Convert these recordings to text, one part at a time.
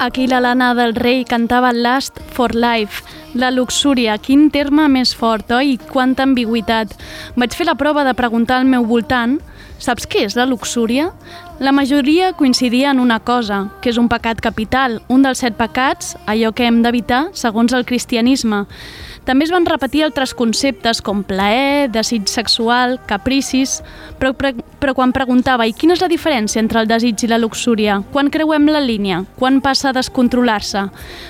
Aquí la Lana del Rei cantava Lust for Life. La luxúria, quin terme més fort, oi? Quanta ambigüitat. Vaig fer la prova de preguntar al meu voltant: saps què és la luxúria? La majoria coincidia en una cosa, que és un pecat capital, un dels 7 pecats, allò que hem d'evitar segons el cristianisme. També es van repetir altres conceptes com plaer, desig sexual, capricis, però quan preguntava i quina és la diferència entre el desig i la luxúria? Quan creuem la línia? Quan passa a descontrolar-se?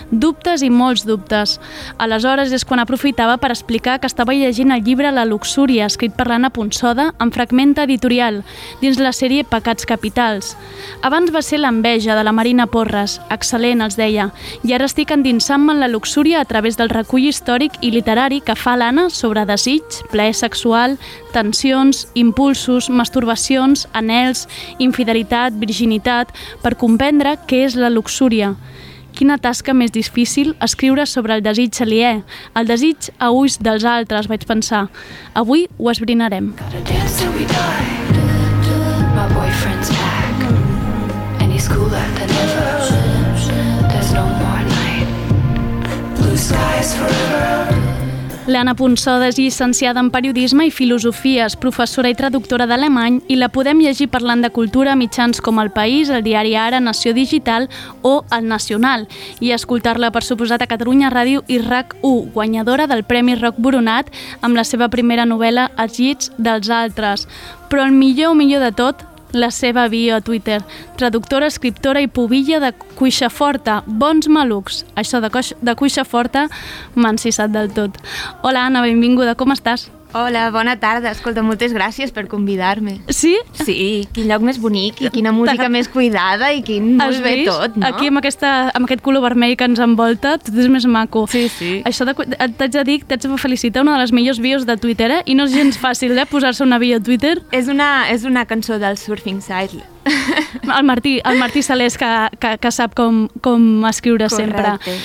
Dubtes i molts dubtes. Aleshores és quan aprofitava per explicar que estava llegint el llibre La luxúria, escrit per l'Anna Ponsoda, en Fragmenta Editorial, dins la sèrie Pecats capitals. Abans va ser l'enveja de la Marina Porres, excel·lent, els deia, i ara estic endinsant-me en la luxúria a través del recull històric i literari que fa l'Anna sobre desig, plaer sexual, tensions, impulsos, masturbacions, anhels, infidelitat, virginitat, per comprendre què és la luxúria. Quina tasca més difícil escriure sobre el desig aliè, el desig a ulls dels altres, vaig pensar. Avui ho esbrinarem. My boyfriend's back and he's cooler than ever. There's no more night. Blue skies forever. L'Anna Ponsoda és llicenciada en Periodisme i Filosofies, professora i traductora d'alemany, i la podem llegir parlant de cultura a mitjans com El País, el diari Ara, Nació Digital o El Nacional, i escoltar-la, per suposat, a Catalunya Ràdio i RAC1, guanyadora del Premi Roc Boronat amb la seva primera novel·la Els llits dels altres. Però el millor de tot, la seva bio a Twitter. Traductora, escriptora i pubilla de Cuixaforta. Bons malucs. Això de Cuixaforta m'ha encissat del tot. Hola, Anna, benvinguda. Com estàs? Hola, bona tarda. Escolta, moltes gràcies per convidar-me. Sí? Sí, quin lloc més bonic i quina música més cuidada i quin molt bé tot, no? Aquí amb aquest color vermell que ens envolta, tot és més maco. Sí, sí. Això t'haig de dir, t'haig de felicitar, una de les millors bios de Twitter, i no és gens fàcil, posar-se una bio a Twitter. És una cançó del Surfing Side. El Martí Salés, que sap com escriure. Correcte. Sempre.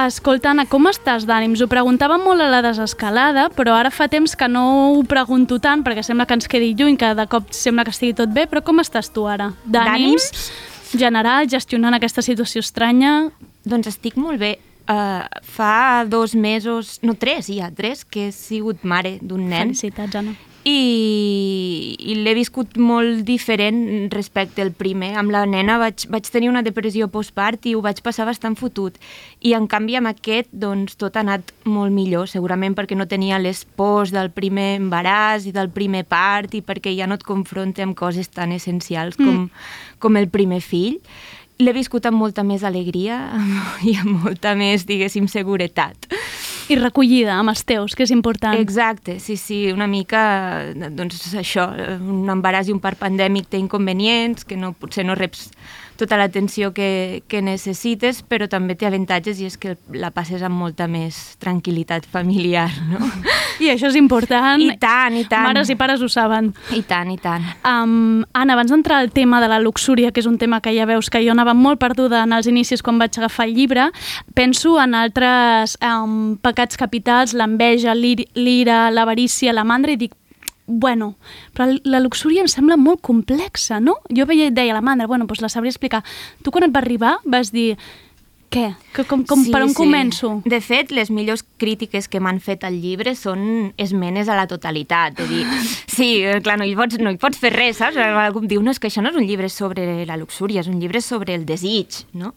Escolta, Anna, com estàs d'ànims? Ho preguntava molt a la desescalada, però ara fa temps que no ho pregunto tant, perquè sembla que ens quedi lluny, que de cop sembla que estigui tot bé, però com estàs tu ara? D'ànims? General, gestionant aquesta situació estranya? Doncs estic molt bé. Fa 2 mesos, no 3 ja, 3, que he sigut mare d'un nen. Felicitats, Anna. I l'he viscut molt diferent respecte al primer. Amb la nena vaig tenir una depressió postpart i ho vaig passar bastant fotut. I en canvi amb aquest doncs, tot ha anat molt millor, segurament perquè no tenia les pors del primer embaràs i del primer part i perquè ja no et confronta amb coses tan essencials com el primer fill. L'he viscut amb molta més alegria i amb molta més, diguéssim, seguretat. I recollida amb els teus, que és important. Exacte, sí, una mica, doncs això, un embaràs i un part pandèmic té inconvenients, que potser no reps tota l'atenció que necessites, però també té avantatges i és que la passes amb molta més tranquil·litat familiar, no? I això és important. I tant. Mares i pares ho saben. I tant. Anna, abans d'entrar al tema de la luxúria, que és un tema que ja veus que jo anava molt perduda en els inicis quan vaig agafar el llibre, penso en altres pecats capitals, l'enveja, l'ira, l'avarícia, la mandra, i dic, bueno, però la luxúria em sembla molt complexa, no? Jo deia a la mandra, doncs la sabria explicar. Tu quan et va arribar vas dir, què? Per on començo? De fet, les millors crítiques que m'han fet al llibre són esmenes a la totalitat. És dir, sí, clar, no hi pots fer res, saps? Algú em diu, no, és que això no és un llibre sobre la luxúria, és un llibre sobre el desig, no?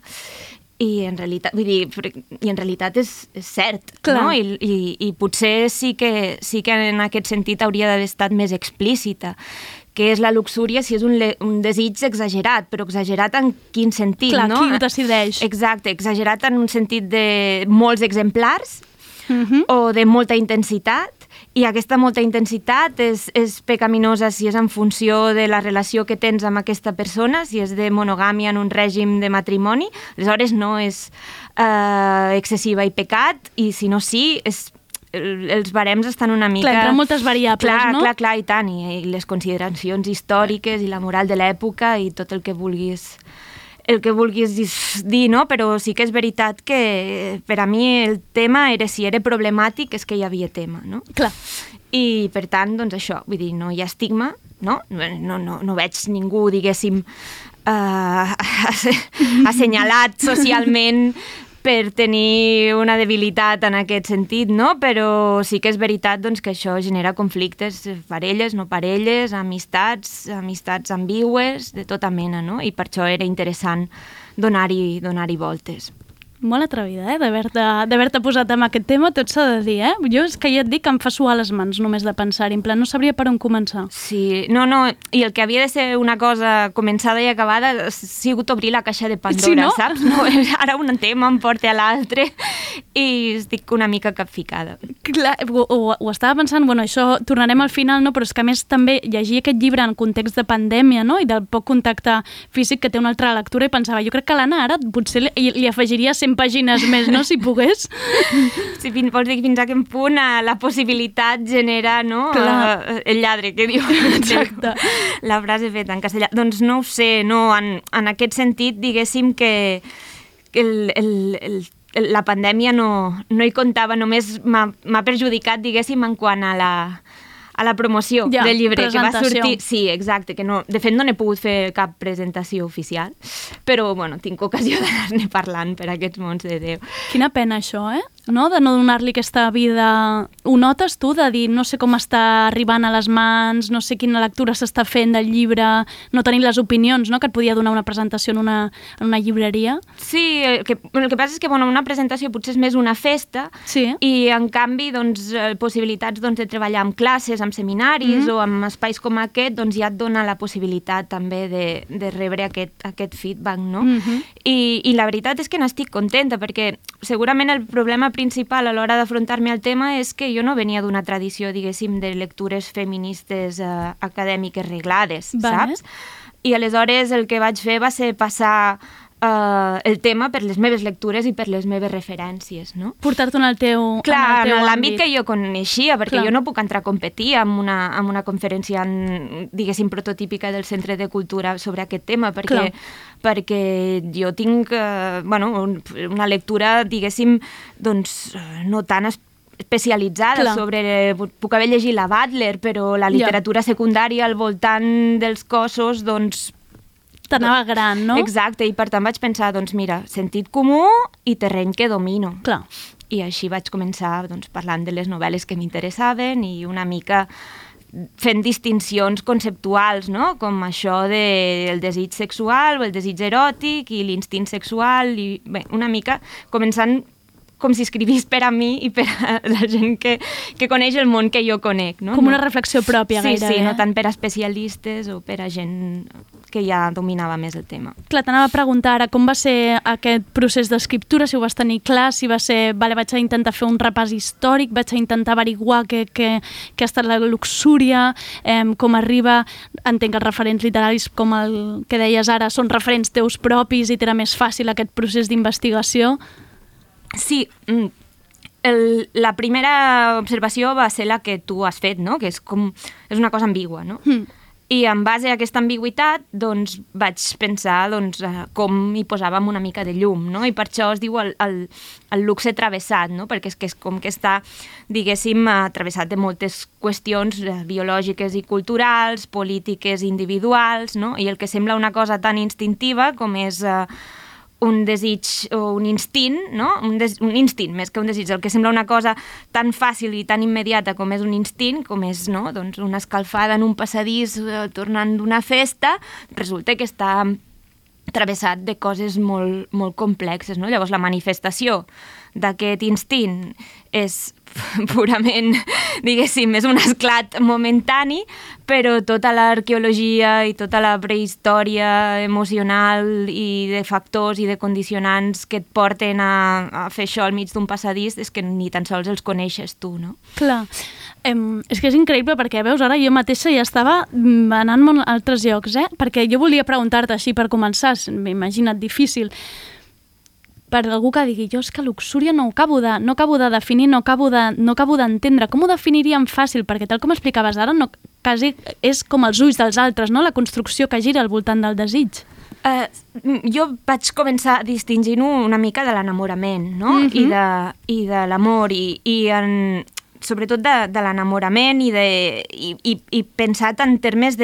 I en realitat és cert, no? I potser sí que en aquest sentit hauria d'haver estat més explícita. Què és la luxúria si és un desig exagerat, però exagerat en quin sentit, clar, no? Qui ho decideix? Exacte, exagerat en un sentit de molts exemplars o de molta intensitat, i aquesta molta intensitat és pecaminosa si és en funció de la relació que tens amb aquesta persona, si és de monogàmia en un règim de matrimoni, aleshores no és excessiva i pecat, i si no sí, els barems estan una mica... Clar, entren moltes variables, no? Clar, i tant, i les consideracions històriques i la moral de l'època i tot el que vulguis dir, no? Però sí que és veritat que per a mi el tema era, si era problemàtic, és que hi havia tema, no? Clar. I per tant, doncs això, vull dir, no hi ha estigma, no? No veig ningú, diguéssim, assenyalat socialment per tenir una debilitat en aquest sentit, no? Però sí que és veritat doncs, que això genera conflictes, parelles, no parelles, amistats ambigües, de tota mena, no? I per això era interessant donar-hi voltes. Molt atrevida, d'haver-te posat amb aquest tema, tot s'ha de dir, Jo és que ja et dic que em fa suar les mans només de pensar-hi, en plan no sabria per on començar. Sí, no, i el que havia de ser una cosa començada i acabada ha sigut obrir la caixa de Pandora, sí, no? saps? No, ara un tema em porta a l'altre i estic una mica capficada. Clar, ho estava pensant, això tornarem al final, no? Però és que a més també llegir aquest llibre en context de pandèmia, no? I del poc contacte físic que té una altra lectura i pensava, jo crec que l'Anna ara potser li afegiria 100 pàgines més, no?, si pogués. Sí, vols dir fins a quin punt la possibilitat genera, no?, el lladre, que diu. Exacte. La frase feta en castellà. Doncs no ho sé, no, en aquest sentit, diguéssim que la pandèmia no hi comptava, només m'ha perjudicat, diguéssim, en quant a la promoció del llibre, que va sortir... Sí, exacte, que no, de fet no n'he pogut fer cap presentació oficial, però, tinc ocasió d'anar-ne parlant per aquests mons de Déu. Quina pena això, no? De no donar-li aquesta vida... Ho notes tu, de dir, no sé com està arribant a les mans, no sé quina lectura s'està fent del llibre, no tenir les opinions, no?, que et podia donar una presentació en una llibreria? Sí, el que passa és que, una presentació potser és més una festa, sí. I en canvi, possibilitats de treballar amb classes, amb seminaris o amb espais com aquest, ja et dona la possibilitat també de rebre aquest feedback, no? I la veritat és que n'estic contenta, perquè segurament el problema principal a l'hora d'afrontar-me al tema és que jo no venia d'una tradició, diguéssim, de lectures feministes acadèmiques reglades, saps? I aleshores el que vaig fer va ser passar el tema per les meves lectures i per les meves referències, no? Portar-te en el teu Clar, en l'àmbit que jo coneixia, perquè jo no puc entrar a competir amb una conferència, diguéssim, prototípica del Centre de Cultura sobre aquest tema, perquè jo tinc una lectura, diguéssim, no tan especialitzada sobre... Puc haver llegit la Butler, però la literatura secundària al voltant dels cossos, t'anava gran, no? Exacte, i per tant vaig pensar, mira, sentit comú i terreny que domino. Clar. I així vaig començar parlant de les novel·les que m'interessaven i una mica fent distincions conceptuals, no? Com això del desig sexual o el desig eròtic i l'instint sexual i bé, una mica començant com si escrivís per a mi i per a la gent que coneix el món que jo conec, no? Com una reflexió pròpia, gairebé. Sí, no tant per a especialistes o per a gent que ja dominava més el tema. Clar, t'anava a preguntar ara com va ser aquest procés d'escriptura, si ho vas tenir clar, si va ser, vaig a intentar fer un repàs històric, vaig a intentar averiguar què ha estat la luxúria, com arriba, entenc que els referents literaris, com el que deies ara, són referents teus propis i t'era més fàcil aquest procés d'investigació. Sí, la primera observació va ser la que tu has fet, no? Que és una cosa ambigua, no? I en base a aquesta ambigüitat vaig pensar com hi posàvem una mica de llum, no? I per això es diu el luxe travessat, no? Perquè és com que està, diguéssim, travessat de moltes qüestions biològiques i culturals, polítiques individuals, no? I el que sembla una cosa tan instintiva com és un desig o un instint, no? Un instint, més que un desig. El que sembla una cosa tan fàcil i tan immediata com és un instint, com és una escalfada en un passadís tornant d'una festa, resulta que està travessat de coses molt, molt complexes, no? Llavors la manifestació d'aquest instint és purament, diguéssim, és un esclat momentani, però tota l'arqueologia i tota la prehistòria emocional i de factors i de condicionants que et porten a fer això al mig d'un passadís és que ni tan sols els coneixes tu, no? Clar. És que és increïble perquè, veus, ara jo mateixa ja estava anant a altres llocs, perquè jo volia preguntar-te així per començar, m'imagina't difícil, per algú que digui, jo és que luxúria no acabo de definir, no acabo d'entendre. Com ho definiríem fàcil? Perquè tal com explicaves ara, quasi és com els ulls dels altres, no? La construcció que gira al voltant del desig. Jo vaig començar distingint-ho una mica de l'enamorament, no? I de l'amor, i sobretot de l'enamorament i pensat en termes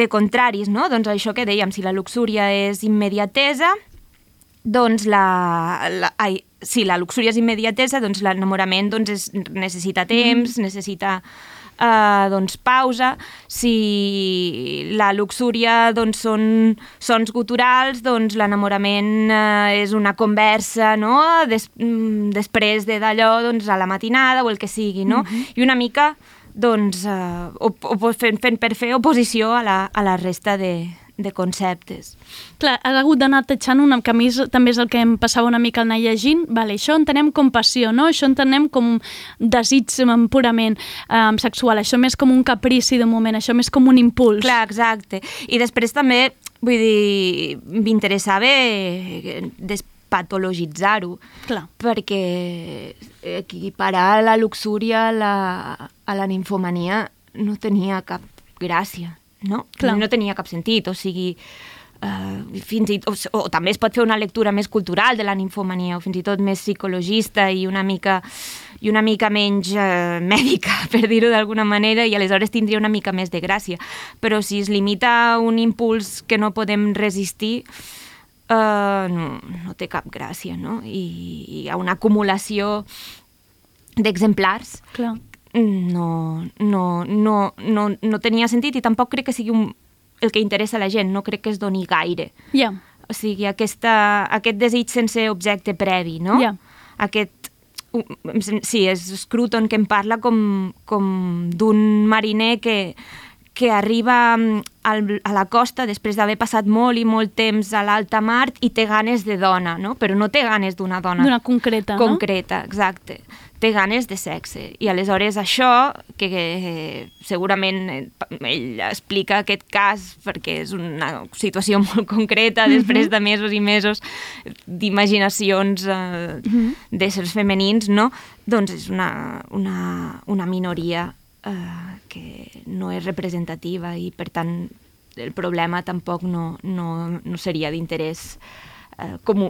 contraris, no? Doncs això que dèiem, si la luxúria és immediatesa, doncs si la luxúria és immediatesa, doncs l'enamorament necessita temps, necessita pausa. Si la luxúria són sons guturals, doncs l'enamorament és una conversa, no? Després d'allò, doncs a la matinada o el que sigui, no? I una mica fent per fer oposició a la resta de conceptes. Clar, has hagut d'anar tatxant que a mi també és el que em passava una mica al anar llegint. Vale, això entenem com passió, no? Això entenem com desig purament sexual, això més com un caprici de moment, això més com un impuls. Clar, exacte. I després també, vull dir, m'interessava despatologitzar-ho, perquè equiparar la luxúria a la nimfomania no tenia cap gràcia. No? No tenia cap sentit, o sigui, fins i tot, o també es pot fer una lectura més cultural de la nimfomania, o fins i tot més psicologista i una mica menys mèdica, per dir-ho d'alguna manera, i aleshores tindria una mica més de gràcia. Però si es limita a un impuls que no podem resistir, no té cap gràcia, no? I hi ha una acumulació d'exemplars. Clar. No tenia sentit i tampoc crec que sigui el que interessa a la gent, no crec que es doni gaire. O sigui, aquest desig sense objecte previ, no? Sí, és Scruton que em parla com d'un mariner que arriba a la costa després d'haver passat molt i molt temps a l'alta mar i té ganes de dona, no? Però no té ganes d'una dona. D'una concreta, no? Concreta, exacte. Té ganes de sexe. I aleshores això, que segurament ell explica aquest cas perquè és una situació molt concreta, després de mesos i mesos d'imaginacions d'éssers femenins, no? Doncs és una minoria que no és representativa i, per tant, el problema tampoc no seria d'interès comú.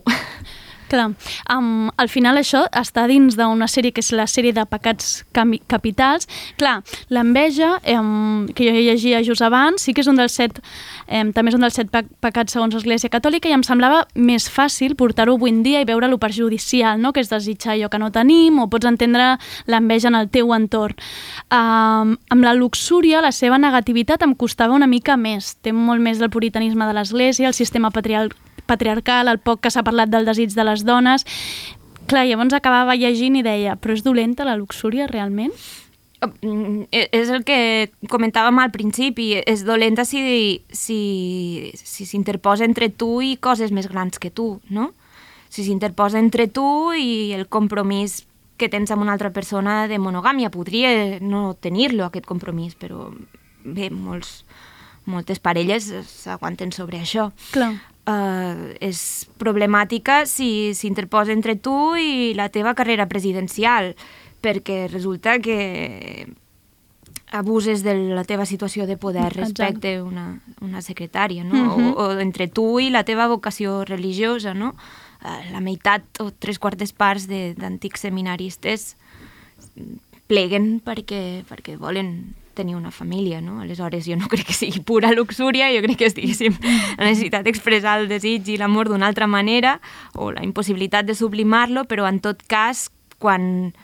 Clar, al final això està dins d'una sèrie que és la sèrie de pecats capitals. Clar, l'enveja, que jo llegia just abans, sí que és un dels 7, també és un dels 7 pecats segons l'Església Catòlica, i em semblava més fàcil portar-ho avui en dia i veure-lo perjudicial, no? Que és desitjar allò que no tenim, o pots entendre l'enveja en el teu entorn. Amb la luxúria, la seva negativitat em costava una mica més. Té molt més del puritanisme de l'Església, el sistema patriarcal, el poc que s'ha parlat del desig de les dones. Clar, llavors acabava llegint i deia, però és dolenta la luxúria realment? És el que comentàvem al principi, és dolenta si s'interposa entre tu i coses més grans que tu, no? Si s'interposa entre tu i el compromís que tens amb una altra persona de monogàmia, podria no tenir-lo, aquest compromís, però bé, moltes parelles s'aguanten sobre això. Clar. És problemàtica si s'interposa entre tu i la teva carrera presidencial, perquè resulta que abuses de la teva situació de poder respecte a una secretària, no? O entre tu i la teva vocació religiosa, no? La meitat o 3/4 parts d'antics seminaristes pleguen perquè volen tenir una família, no? Aleshores, jo no crec que sigui pura luxúria, jo crec que és, diguéssim, la necessitat d'expressar el desig i l'amor d'una altra manera, o la impossibilitat de sublimar-lo, però en tot cas, quan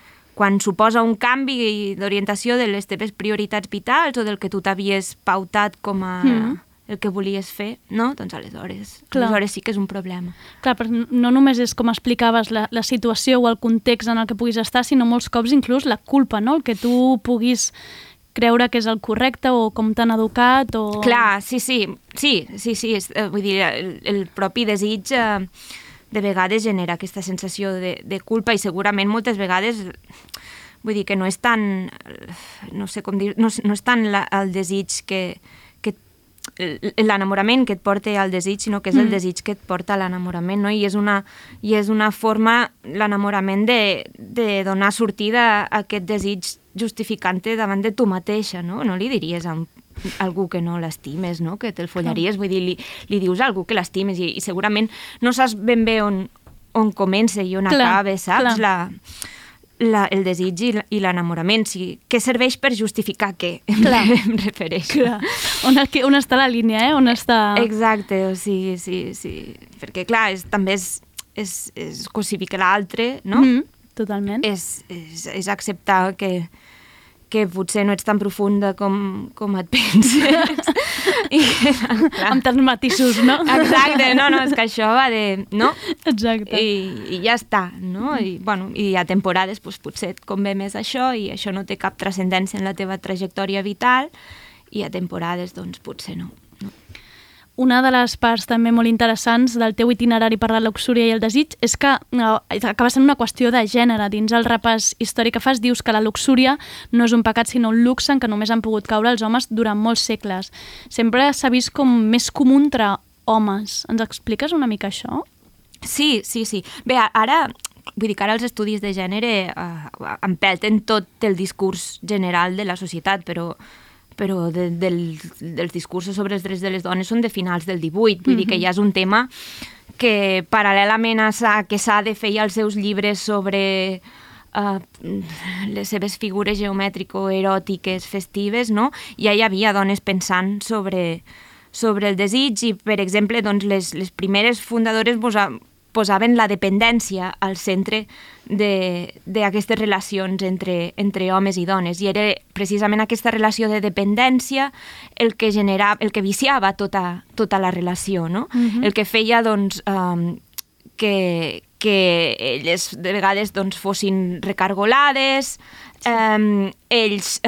suposa un canvi d'orientació de les teves prioritats vitals o del que tu t'havies pautat com a el que volies fer, no? Doncs aleshores sí que és un problema. Clar, però no només és, com explicaves, la situació o el context en el que puguis estar, sinó molts cops inclús la culpa, no? El que tu puguis creure que és el correcte o com t'han educat o... Clar, sí, vull dir, el propi desig de vegades genera aquesta sensació de culpa i segurament moltes vegades, vull dir que no és tan, no sé com dir, no és tant el desig que l'enamorament que et porta al desig, sinó que és el desig que et porta a l'enamorament, no? I és una forma, l'enamorament, de donar sortida a aquest desig justificant-te davant de tu mateixa, no? No li diries a algú que no l'estimes, no? Que te'l follaries, vull dir, li dius a algú que l'estimes i segurament no saps ben bé on comença i on acaba, saps? el desig i l'enamorament. Sí, què serveix per justificar què? Clar. Em refereixo. Clar. On està la línia, On està... Exacte, o sigui, sí. Perquè, clar, també és cosificar l'altre, no? Totalment. És acceptar que potser no ets tan profunda com et penses. Amb tants matisos, no? Exacte, no, és que això va de... no? Exacte. I ja està, no? I hi ha temporades, doncs, potser et convé més això i això no té cap transcendència en la teva trajectòria vital, i hi ha temporades, doncs, potser no. Una de les parts també molt interessants del teu itinerari per la luxúria i el desig és que acaba sent una qüestió de gènere. Dins el repàs històric que fas dius que la luxúria no és un pecat sinó un luxe en què només han pogut caure els homes durant molts segles. Sempre s'ha vist com més comú entre homes. Ens expliques una mica això? Sí. Bé, ara... Vull dir que ara els estudis de gènere empelten tot el discurs general de la societat, però dels discursos sobre els drets de les dones són de finals del 18, vull dir que ja és un tema que paral·lelament a que s'ha de fer els seus llibres sobre les seves figures geomètrico-eròtiques festives, no? Ja hi havia dones pensant sobre el desig i, per exemple, doncs, les primeres fundadores posaven la dependència al centre d'aquestes relacions entre homes i dones, i era precisament aquesta relació de dependència el que viciava tota la relació, no? El que feia, doncs, que elles de vegades, doncs, fossin recargolades, ells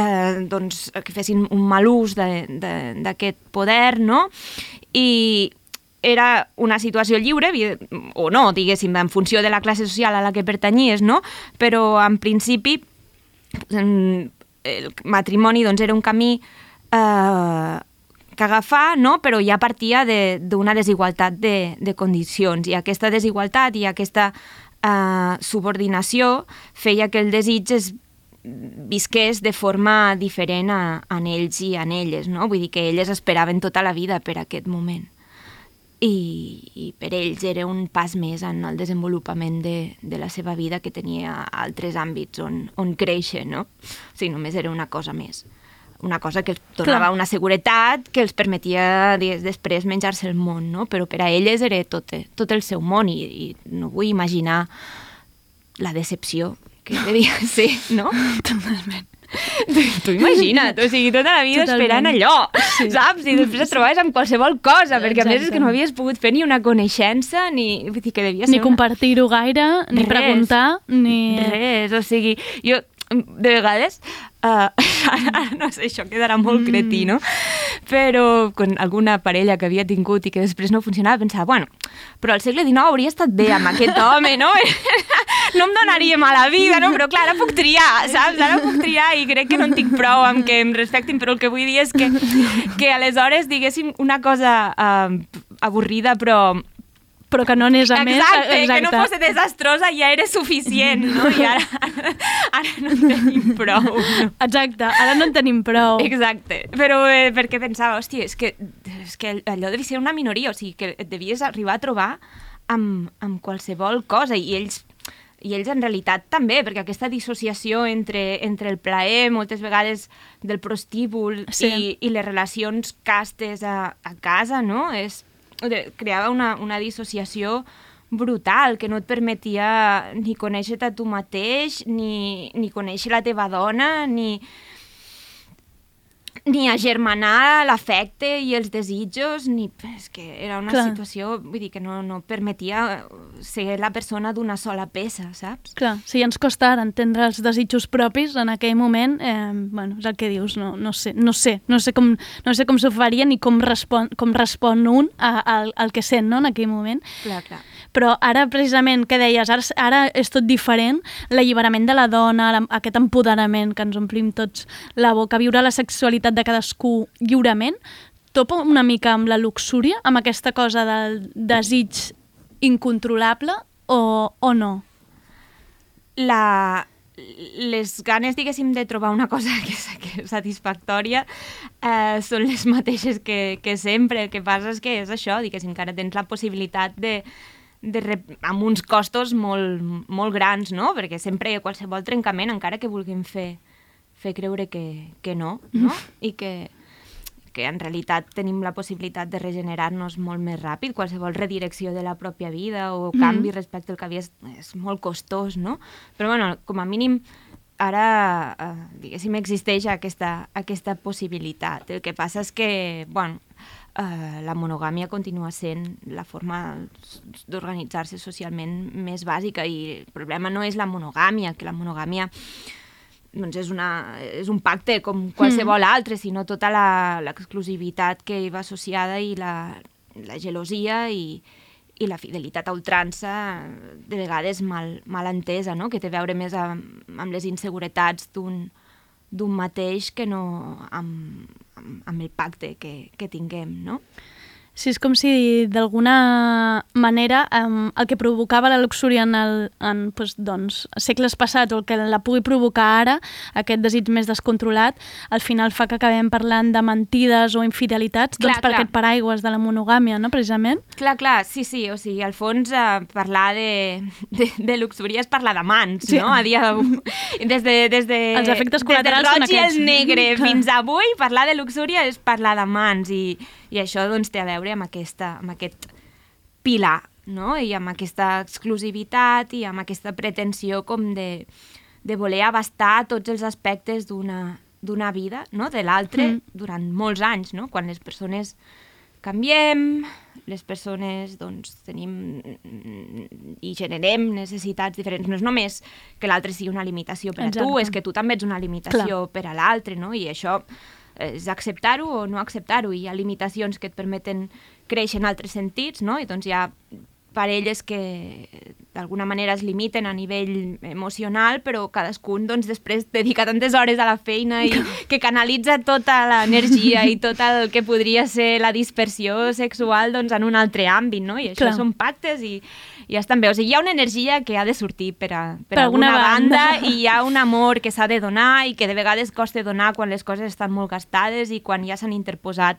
doncs, que fessin un mal ús d'aquest poder, no? I era una situació lliure, o no, diguéssim, en funció de la classe social a la que pertanyies, no? Però, en principi, el matrimoni, doncs, era un camí que agafar, no? Però ja partia d'una desigualtat de condicions, i aquesta desigualtat i aquesta subordinació feia que el desig es visqués de forma diferent en ells i en elles, no? Vull dir que elles esperaven tota la vida per aquest moment. I per ells era un pas més en el desenvolupament de la seva vida, que tenia altres àmbits on créixer, no? O sigui, només era una cosa més. Una cosa que els donava una seguretat que els permetia després menjar-se el món, no? Però per a elles era tot el seu món, i no vull imaginar la decepció que devia ser, no? Totalment. Tu imagina't, o sigui, tota la vida esperant allò, saps? I després et trobaves amb qualsevol cosa, perquè a més és que no havies pogut fer ni una coneixença, ni... Vull dir que devia ser... Ni compartir-ho gaire, ni preguntar, ni... Res, o sigui, jo de vegades... no sé, això quedarà molt cretí, no? Però con alguna parella que havia tingut i que després no funcionava, pensava, bueno, però al segle XIX hauria estat bé amb aquest home, no? No em donaria mala vida, no? Però clar, ara puc triar, saps? Ara puc triar i crec que no en tinc prou amb que em respectin, però el que vull dir és que aleshores diguéssim una cosa avorrida, però que no anés a més. Exacte, que no fos desastrosa ja era suficient, no? I ara no en tenim prou. No? Exacte, ara no en tenim prou. Exacte, però perquè pensava, hòstia, és que allò devia ser una minoria, o sigui, que et devies arribar a trobar amb qualsevol cosa, i ells en realitat també, perquè aquesta dissociació entre el plaer, moltes vegades del prostíbul, i les relacions castes a casa, no? Creava una dissociació brutal, que no et permetia ni conèixer-te a tu mateix, ni conèixer la teva dona, ni agermanar l'afecte i els desitjos, és que era una situació, vull dir, que no permetia ser la persona d'una sola peça, saps? Clar, si ens costa ara entendre els desitjos propis en aquell moment, bueno, és el que dius, no sé com s'ho faria ni com respon un al que sent, no?, en aquell moment. Clar. Però ara, precisament, què deies? Ara és tot diferent, l'alliberament de la dona, aquest empoderament que ens omplim tots la boca, viure la sexualitat de cadascú lliurement, topa una mica amb la luxúria, amb aquesta cosa del desig incontrolable, o no? Les ganes, diguéssim, de trobar una cosa que és satisfactòria són les mateixes que sempre. El que passa és que és això, diguéssim, que ara tens la possibilitat amb uns costos molt grans, no? Perquè sempre qualsevol trencament, encara que vulguem fer creure que no? I que en realitat tenim la possibilitat de regenerar-nos molt més ràpid, qualsevol redirecció de la pròpia vida o canvi respecte al que havia és molt costós, no? Però, bueno, com a mínim, ara, diguéssim, existeix aquesta possibilitat. El que passa és que, bueno, la monogàmia continua sent la forma d'organitzar-se socialment més bàsica i el problema no és la monogàmia, que la monogàmia doncs és un pacte com qualsevol altre, sinó tota l'exclusivitat que hi va associada i la gelosia i la fidelitat a ultrança, de vegades mal entesa, no? Que té a veure més amb les inseguretats d'un mateix que no amb el pacte que tinguem, no? Sí, és com si d'alguna manera el que provocava la luxúria en segles passats o el que la pugui provocar ara, aquest desig més descontrolat, al final fa que acabem parlant de mentides o infidelitats per aquest paraigües de la monogàmia, no, precisament? Clar, sí, o sigui, al fons parlar de luxúria és parlar d'amants, no? A dia d'avui. Des els efectes col·laterals són aquests. Des del roig i el negre fins avui, parlar de luxúria és parlar d'amants i això doncs té a veure amb aquest pilar, no? I amb aquesta exclusivitat i amb aquesta pretensió com de voler abastar tots els aspectes d'una vida, no? De l'altre durant molts anys, no? Quan les persones canviem, les persones doncs tenim i generem necessitats diferents. No és només que l'altre sigui una limitació per a tu, és que tu també ets una limitació per a l'altre, no? I això és acceptar-ho o no acceptar-ho. Hi ha limitacions que et permeten créixer en altres sentits, no? I doncs hi ha parelles que d'alguna manera es limiten a nivell emocional, però cadascun doncs, després dedica tantes hores a la feina i que canalitza tota l'energia i tot el que podria ser la dispersió sexual doncs, en un altre àmbit, no? I això són pactes i ja estan bé. O sigui, hi ha una energia que ha de sortir per alguna banda i hi ha un amor que s'ha de donar i que de vegades costa donar quan les coses estan molt gastades i quan ja s'han interposat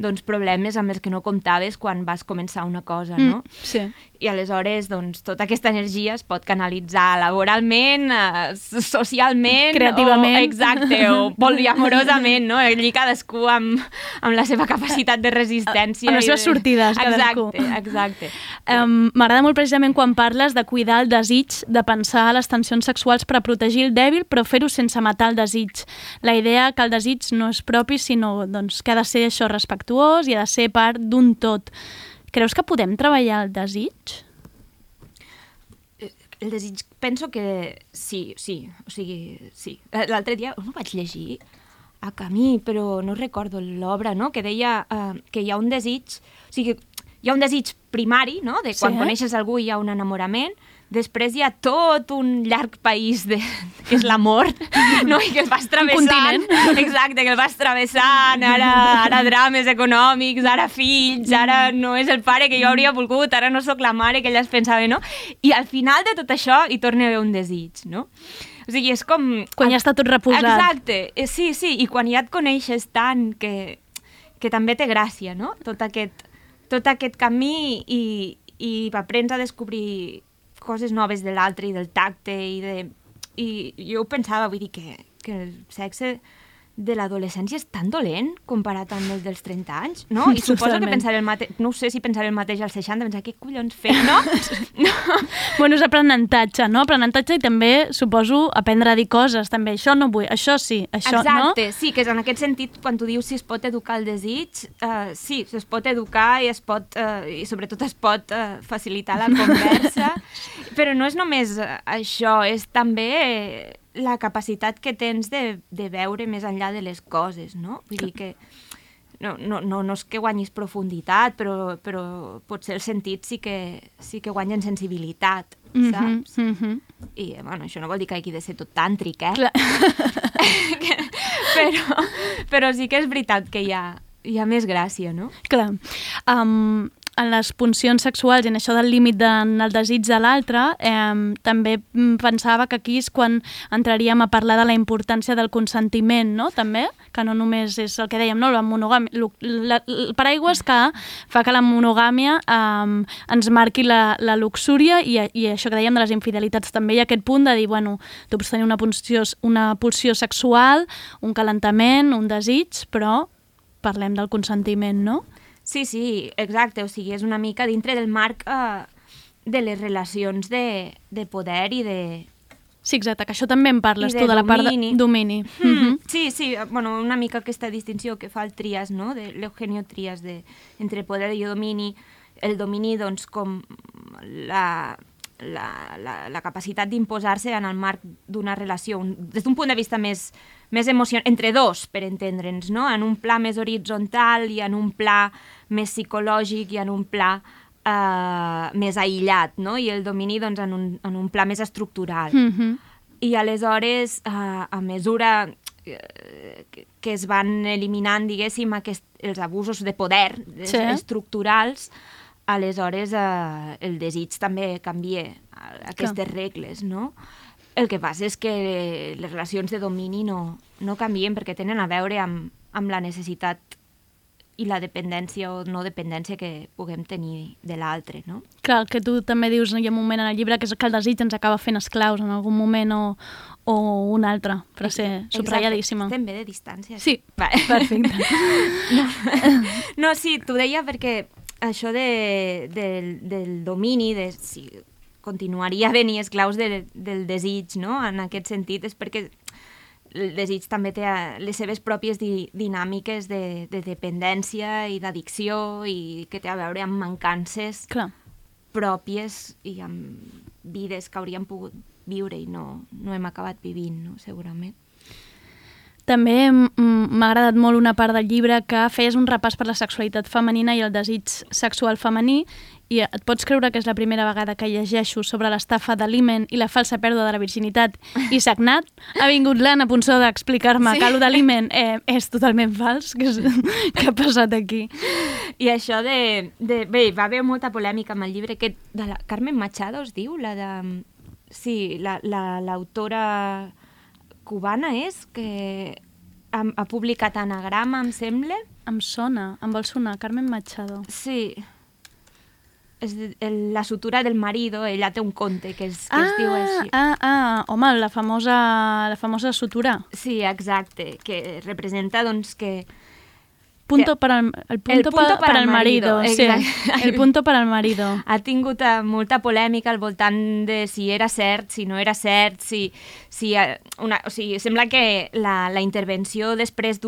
doncs, problemes amb els que no comptaves quan vas començar una cosa, no? Sí. I aleshores, doncs, tota aquesta energia es pot canalitzar laboralment, socialment... Creativament. O poliamorosament, no? Allí cadascú amb la seva capacitat de resistència. Amb les seves sortides, cadascú. Exacte. M'agrada molt precisament quan parles de cuidar el desig, de pensar les tensions sexuals per a protegir el dèbil, però fer-ho sense matar el desig. La idea que el desig no és propi, sinó doncs, que ha de ser això respectuós i ha de ser part d'un tot. Creus que podem treballar el desig? El desig, penso que sí, o sigui, sí. L'altre dia ho vaig llegir a Camí, però no recordo l'obra, no? Que deia que hi ha un desig, o sigui, hi ha un desig primari, no? De quan coneixes algú hi ha un enamorament, després hi ha tot un llarg país que és l'amor, no? I que el vas travessant. Exacte, que el vas travessant, ara drames econòmics, ara fills, ara no és el pare que jo hauria volgut, ara no sóc la mare que ella es pensava, no? I al final de tot això hi torna a haver un desig, no? O sigui, és com... Quan ja està tot reposat. Exacte, sí, i quan ja et coneixes tant que també té gràcia, no? Tot aquest camí i aprens a descobrir coses noves de l'altre i del tacte i jo pensava, vull dir que el sexe de l'adolescència és tan dolent comparat amb el dels 30 anys, no? I suposo que pensaré el mateix, no sé si pensaré el mateix als 60, pensar què collons fer, no? Bueno, és aprenentatge, no? Aprenentatge i també, suposo, aprendre a dir coses, també. Això no vull, això sí, això no? Exacte, sí, que és en aquest sentit, quan tu dius si es pot educar el desig, sí, es pot educar i i sobretot es pot facilitar la conversa, però no és només això, és també la capacitat que tens de veure més enllà de les coses, no? Vull dir que no és que guanyis profunditat, però potser el sentit sí que guanya en sensibilitat, saps? I, bueno, això no vol dir que hagi de ser tot tàntric, però sí que és veritat que hi ha més gràcia, no? Clar. en les puncions sexuals i en això del límit en el desig de l'altre, també pensava que aquí és quan entraríem a parlar de la importància del consentiment, no? També, que no només és el que dèiem, no? La monogàmia, el paraigües que fa que la monogàmia ens marqui la luxúria i això que dèiem de les infidelitats també, i aquest punt de dir, bueno, tu pots tenir una pulsió sexual, un calentament, un desig, però parlem del consentiment, no? Sí, exacte, o sigui, és una mica dintre del marc de les relacions de poder i de... Sí, exacte, que això també en parles tu, de la part de domini. Sí, bueno, una mica aquesta distinció que fa el Trias, no?, de l'Eugenio Trias, entre poder i domini, el domini, doncs, com la capacitat d'imposar-se en el marc d'una relació, des d'un punt de vista més emocional, entre dos, per entendre'ns, no? En un pla més horitzontal i en un pla més psicològic i en un pla més aïllat, no? I el domini, doncs, en un pla més estructural. I aleshores, a mesura que es van eliminant, diguéssim, els abusos de poder estructurals, aleshores el desig també canvia aquestes regles, no? El que passa és que les relacions de domini no canvien perquè tenen a veure amb la necessitat i la dependència o no dependència que puguem tenir de l'altre, no? Clar, que tu també dius, hi ha un moment en el llibre que és que el desig ens acaba fent esclaus en algun moment o un altre, per ser subratlladíssima. Estem bé de distància. Sí, perfecte. No, sí, t'ho deia perquè això del domini, de si continuaria a venir esclaus del desig, no? En aquest sentit, és perquè el desig també té les seves pròpies dinàmiques de dependència i d'addicció i que té a veure amb mancances pròpies i amb vides que hauríem pogut viure i no hem acabat vivint, no? Segurament. També m'ha agradat molt una part del llibre que feies un repàs per la sexualitat femenina i el desig sexual femení, i et pots creure que és la primera vegada que llegeixo sobre l'estafa de l'himen i la falsa pèrdua de la virginitat i sagnat. Ha vingut l'Anna Ponsó d'explicar-me que allò de l'himen és totalment fals. Què ha passat aquí? I això bé, va haver molta polèmica amb el llibre aquest de la Carmen Machado, es diu? Sí, l'autora cubana és, que ha publicat Anagrama, em sembla. Em sona, em vol sonar, Carmen Machado. Sí. És la sutura del marido, ella té un conte que es diu així. Home, la famosa sutura. Sí, exacte, que representa, doncs, que... El punto para el marido. Sí, el punto para el marido. Ha tingut molta polèmica al voltant de si era cert, si no era cert, o sigui, sembla que la intervenció després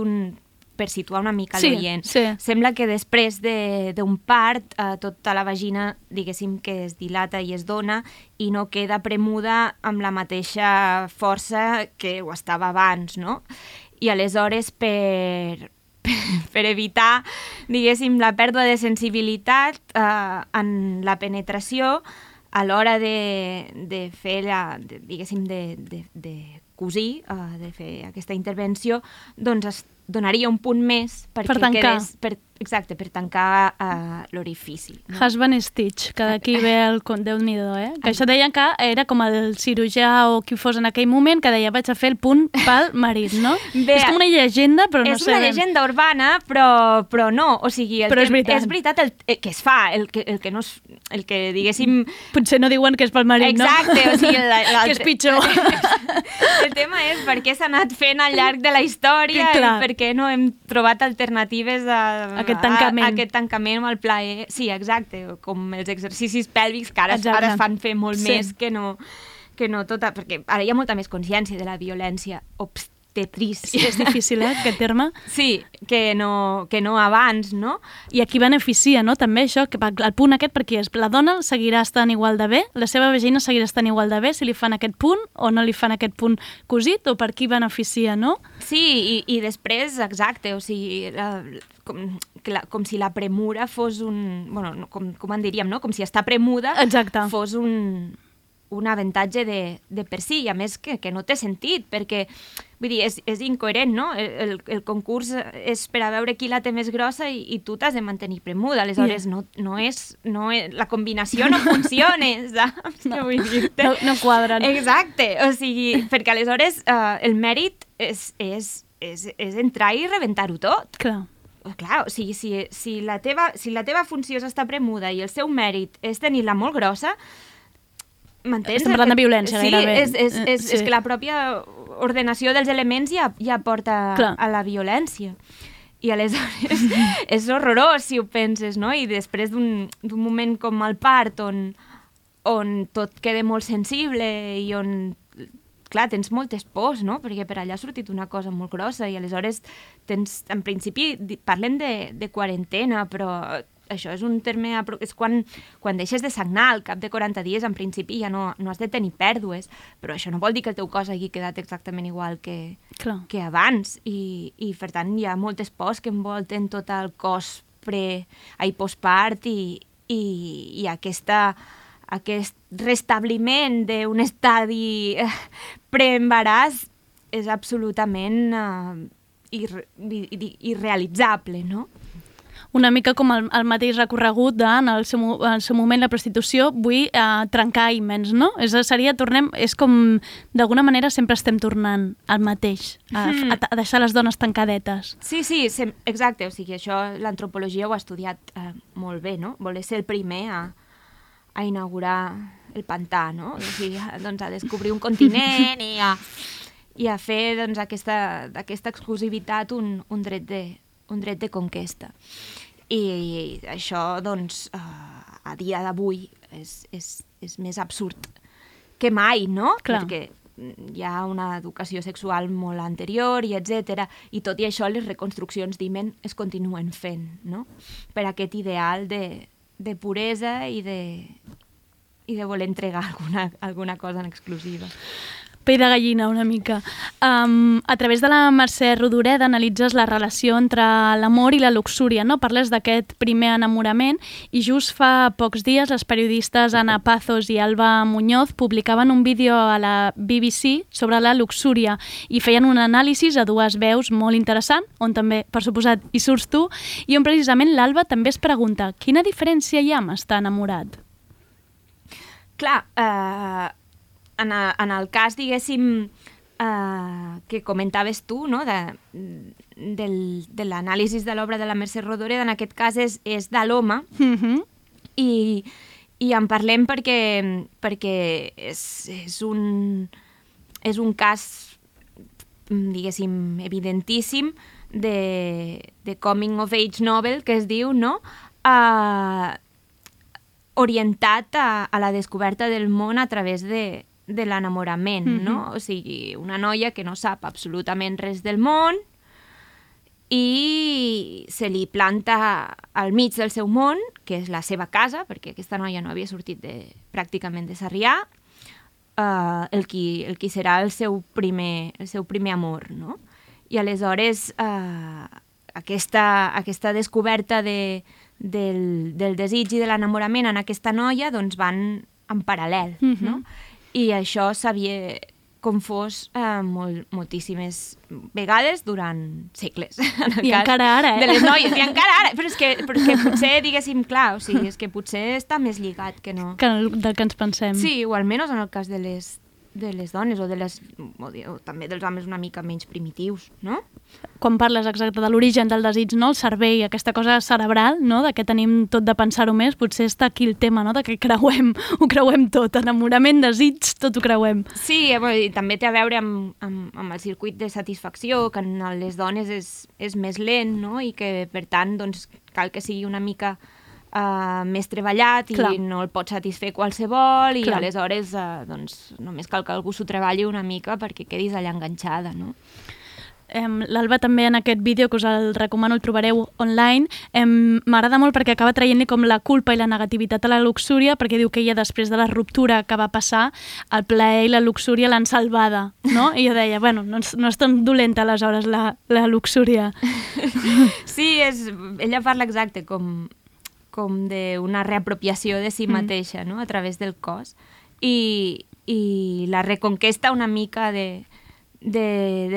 per situar una mica l'oient, sembla que després d'un part tota la vagina, diguéssim, que es dilata i es dona i no queda premuda amb la mateixa força que ho estava abans, no? I aleshores per evitar, diguéssim, la pèrdua de sensibilitat en la penetració a l'hora de fer, diguéssim, de cosir, de fer aquesta intervenció, doncs es donaria un punt més perquè quedés... Exacte, per tancar l'orifici. No? Husband Stitch, que d'aquí ve el Déu-n'hi-do, Que això deien que era com el cirurgià o qui fos en aquell moment que deia vaig a fer el punt pel marit, no? Bé, és com una llegenda, però no sé... És una llegenda urbana, però no. O sigui, és veritat que es fa, el que diguéssim... Potser no diuen que és pel marit, no? Exacte, o sigui... Que és pitjor. El tema és per què s'ha anat fent al llarg de la història i per què no hem trobat alternatives a aquest tancament o el plaer. Sí, exacte, com els exercicis pèlvics que ara es fan fer molt més que no tota... Perquè ara hi ha molta més consciència de la violència obstetrícia. Sí, és difícil, aquest terme. Sí, que no abans, no? I aquí beneficia, no?, també això, que el punt aquest, perquè la dona seguirà estant igual de bé, la seva vagina seguirà estant igual de bé si li fan aquest punt o no li fan aquest punt cosit, o per qui beneficia, no? Sí, i després, exacte, o sigui... com si la premura fos un... Bueno, com en diríem, no? Com si estar premuda fos un avantatge de per si, i a més que no té sentit, perquè vull dir, és incoherent, no? El concurs és per a veure qui la té més grossa i tu t'has de mantenir premuda, aleshores la combinació no funciona, saps? No quadren. Exacte, o sigui, perquè aleshores el mèrit és entrar i rebentar-ho tot. Clar, o sigui, si la teva funció és estar premuda i el seu mèrit és tenir-la molt grossa, m'entens? Estem parlant de violència, gairebé. És que la pròpia ordenació dels elements ja porta a la violència. I aleshores és horrorós si ho penses, no? I després d'un moment com el part on tot queda molt sensible i on, clar, tens moltes pors, no? Perquè per allà ha sortit una cosa molt grossa i aleshores tens, en principi, parlen de quarantena, però això és un terme, és quan deixes de sagnar al cap de 40 dies, en principi ja no has de tenir pèrdues, però això no vol dir que el teu cos hagi quedat exactament igual que abans, i per tant hi ha moltes pors que envolten tot el cos postpart i aquest restabliment d'un estadi preembaràs és absolutament irrealitzable, no? Una mica com el mateix recorregut en el seu moment la prostitució, vull trencar imens, no? És com, d'alguna manera sempre estem tornant al mateix, a deixar les dones tancadetes. Sí, exacte, o sigui, això l'antropologia ho ha estudiat molt bé, no? Voler ser el primer a inaugurar el pantà, no? O sigui, doncs a descobrir un continent i a fer doncs, d'aquesta exclusivitat un dret de conquesta. I això, doncs, a dia d'avui és més absurd que mai, no? Clar. Perquè hi ha una educació sexual molt anterior i etc. I tot i això les reconstruccions d'himen es continuen fent, no? Per aquest ideal de puresa i de voler entregar alguna cosa en exclusiva. Pell de gallina, una mica. A través de la Mercè Rodoreda analitzes la relació entre l'amor i la luxúria, no? Parles d'aquest primer enamorament i just fa pocs dies les periodistes Ana Pazos i Alba Muñoz publicaven un vídeo a la BBC sobre la luxúria i feien un anàlisi a dues veus molt interessant, on també, per suposat, hi surts tu, i on precisament l'Alba també es pregunta quina diferència hi ha amb estar enamorat? Clar, en el cas, diguéssim, que comentaves tu, no? de l'anàlisi de l'obra de la Mercè Rodoreda, en aquest cas és de l'home, i en parlem perquè és un cas, diguéssim, evidentíssim de coming of age novel, que es diu, no? Orientat a la descoberta del món a través de l'enamorament, no? O sigui, una noia que no sap absolutament res del món i se li planta al mig del seu món, que és la seva casa, perquè aquesta noia no havia sortit pràcticament de Sarrià, el qui serà el seu primer amor, no? I aleshores aquesta descoberta del desig i de l'enamorament en aquesta noia doncs van en paral·lel, no? I això s'havia confós moltíssimes vegades durant segles. I encara ara, de les noies, i encara ara. Però és que potser, diguéssim, clar, o sigui, és que potser està més lligat que no. Del que ens pensem. Sí, o almenys en el cas de les dones o també dels homes una mica menys primitius, no? Quan parles exacte de l'origen del desig, no? El cervell, aquesta cosa cerebral, no? De que tenim tot de pensar-ho més, potser està aquí el tema, no? De que ho creuem tot, enamorament, desig, tot ho creuem. Sí, i també té a veure amb el circuit de satisfacció, que en les dones és més lent, no? I que, per tant, doncs, cal que sigui una mica més treballat i no el pot satisfer qualsevol i aleshores doncs, només cal que algú s'ho treballi una mica perquè quedis allà enganxada, no? L'Alba també en aquest vídeo, que us el recomano, el trobareu online, m'agrada molt perquè acaba traient-li com la culpa i la negativitat a la luxúria, perquè diu que ella després de la ruptura que va passar, el plaer i la luxúria l'han salvada, no? I jo deia, bueno, no és tan dolenta aleshores la luxúria. Sí, ella parla exacte com d'una reapropiació de si mateixa, no? A través del cos. i la reconquesta una mica de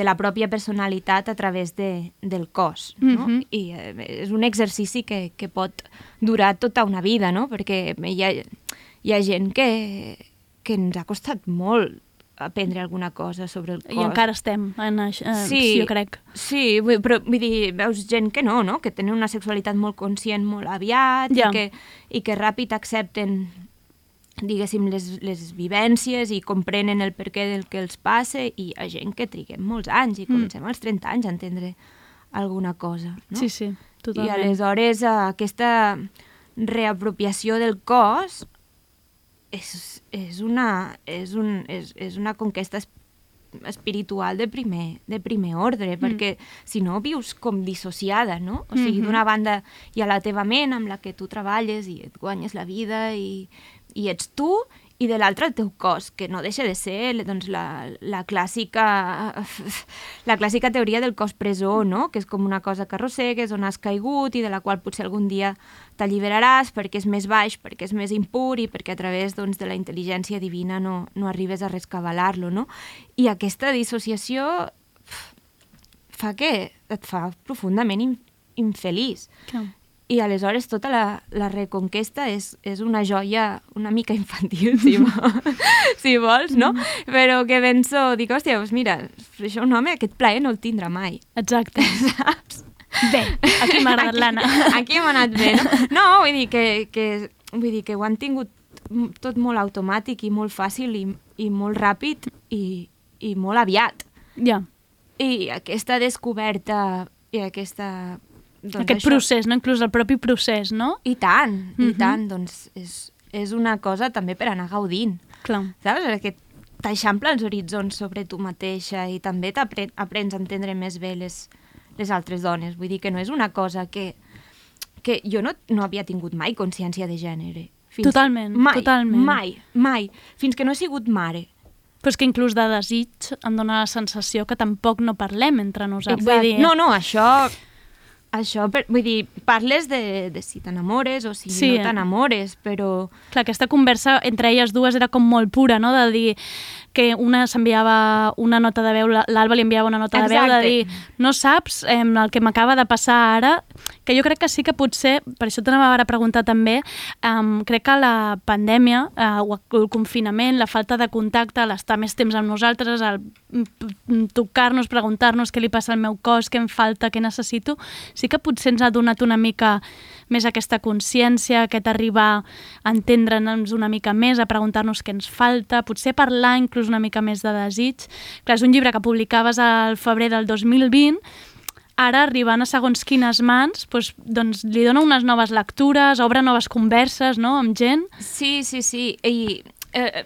la pròpia personalitat a través del cos, no? I és un exercici que pot durar tota una vida, no? Perquè hi ha gent que ens ha costat molt aprendre alguna cosa sobre el cos. I encara estem en això, sí, jo crec. Sí, però vull dir, veus gent que no? Que tenen una sexualitat molt conscient molt aviat i que ràpid accepten, diguéssim, les vivències i comprenen el perquè del que els passa, i hi ha gent que triguem molts anys i comencem als 30 anys a entendre alguna cosa, no? Sí, sí, totalment. I aleshores aquesta reapropiació del cos és una conquesta espiritual de primer ordre, perquè si no vius com dissociada, no? O sigui, d'una banda hi ha la teva ment amb la que tu treballes i et guanyes la vida i ets tu, i de l'altre el teu cos, que no deixa de ser doncs, la clàssica teoria del cos presó, no? Que és com una cosa que arrossegues, on has caigut i de la qual potser algun dia t'alliberaràs perquè és més baix, perquè és més impur i perquè a través doncs, de la intel·ligència divina no arribes a rescabalar-lo, no? I aquesta dissociació et fa profundament infeliç. Clar. I aleshores tota la reconquesta és una joia una mica infantil, si vols, no? Però que penso, dic, hòstia, doncs mira, això un home aquest plaer no el tindrà mai. Exacte. Saps? Bé, aquí m'ha agradat l'Anna. Aquí m'ha anat bé, no? No, vull dir que ho han tingut tot molt automàtic i molt fàcil i molt ràpid i molt aviat. Ja. I aquesta descoberta i aquesta... Aquest procés, no? Inclús el propi procés, no? I tant, doncs és una cosa també per anar gaudint. Clar. Saps? Perquè t'eixampla els horitzons sobre tu mateixa i també aprens a entendre més bé les altres dones. Vull dir que no és una cosa que jo no havia tingut mai consciència de gènere. Totalment. Mai. Fins que no he sigut mare. Però és que inclús de desig em dóna la sensació que tampoc no parlem entre nosaltres. Exacte. No, això, vull dir, parles de si t'enamores o si no t'enamores, però... Clar, aquesta conversa entre elles dues era com molt pura, no?, de dir que una s'enviava una nota de veu, l'Alba li enviava una nota de veu, de dir, no saps el que m'acaba de passar ara, que jo crec que sí que potser, per això t'anava ara a preguntar també, crec que la pandèmia o el confinament, la falta de contacte, l'estar més temps amb nosaltres, el tocar-nos, preguntar-nos què li passa al meu cos, què em falta, què necessito, sí que potser ens ha donat una mica més aquesta consciència, aquest arribar a entendre'ns una mica més, a preguntar-nos què ens falta, potser parlar inclús una mica més de desig. Clar, és un llibre que publicaves al febrer del 2020, ara, arribant a segons quines mans, doncs li dona unes noves lectures, obre noves converses, no?, amb gent. Sí. I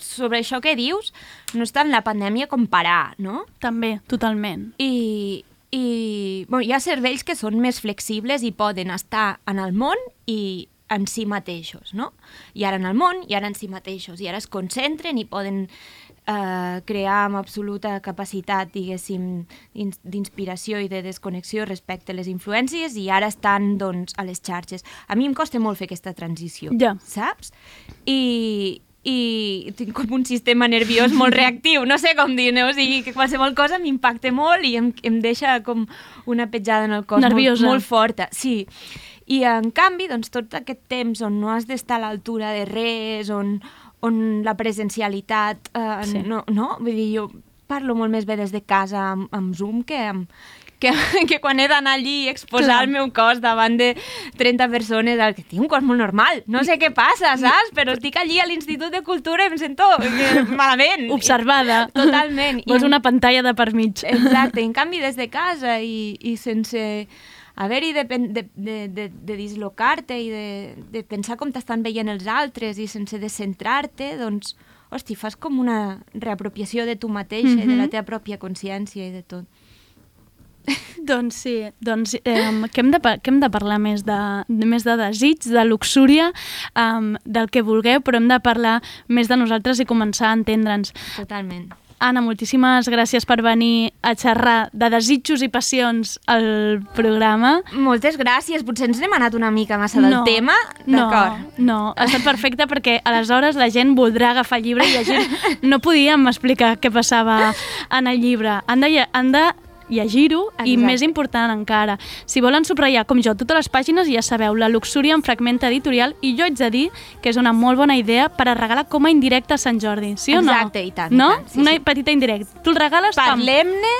sobre això que dius, no és tant la pandèmia com parar, no? També, totalment. I hi ha cervells que són més flexibles i poden estar en el món i en si mateixos, no? I ara en el món, i ara en si mateixos, i ara es concentren i poden crear amb absoluta capacitat, diguéssim, d'inspiració i de desconnexió respecte a les influències, i ara estan, doncs, a les xarxes. A mi em costa molt fer aquesta transició, saps? I tinc com un sistema nerviós molt reactiu, no sé com dir-ne, o sigui, que qualsevol cosa m'impacta molt i em deixa com una petjada en el cos molt forta. Sí. I en canvi, doncs, tot aquest temps on no has d'estar a l'altura de res, on la presencialitat, no? Vull dir, jo parlo molt més bé des de casa amb Zoom que quan he d'anar allí i exposar el meu cos davant de 30 persones, que tinc un cos molt normal, no sé què passa, saps? Però estic allí a l'Institut de Cultura i em sento malament. Observada. Totalment. Vols una pantalla de per mig. Exacte, en canvi des de casa i sense haver-hi de dislocar-te i de pensar com t'estan veient els altres i sense descentrar-te, doncs, hosti, fas com una reapropiació de tu mateixa i de la teva pròpia consciència i de tot. Doncs sí, que hem de parlar més de desig, de luxúria, del que vulgueu, però hem de parlar més de nosaltres i començar a entendre'ns. Totalment. Anna, moltíssimes gràcies per venir a xerrar de desitjos i passions al programa. Moltes gràcies. Potser ens n'hem anat una mica massa del tema. D'acord. No, ha estat perfecte perquè aleshores la gent voldrà agafar el llibre i llegir. No podíem explicar què passava en el llibre. Han de llegir-ho i més important encara. Si volen subratllar, com jo, totes les pàgines, ja sabeu, la luxúria en fragment editorial, i jo haig de dir que és una molt bona idea per a regalar com a indirecte a Sant Jordi, sí o no? Exacte, i tant. No? I tant, Una petita indirecta. Tu el regales Parlem-ne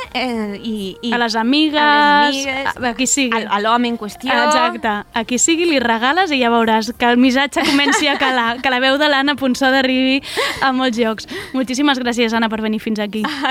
a les amigues, a qui sigui. A l'home en qüestió. Exacte. A qui sigui li regales i ja veuràs que el missatge comenci a calar, que la veu de l'Anna Ponsó arribi a molts llocs. Moltíssimes gràcies, Anna, per venir fins aquí. A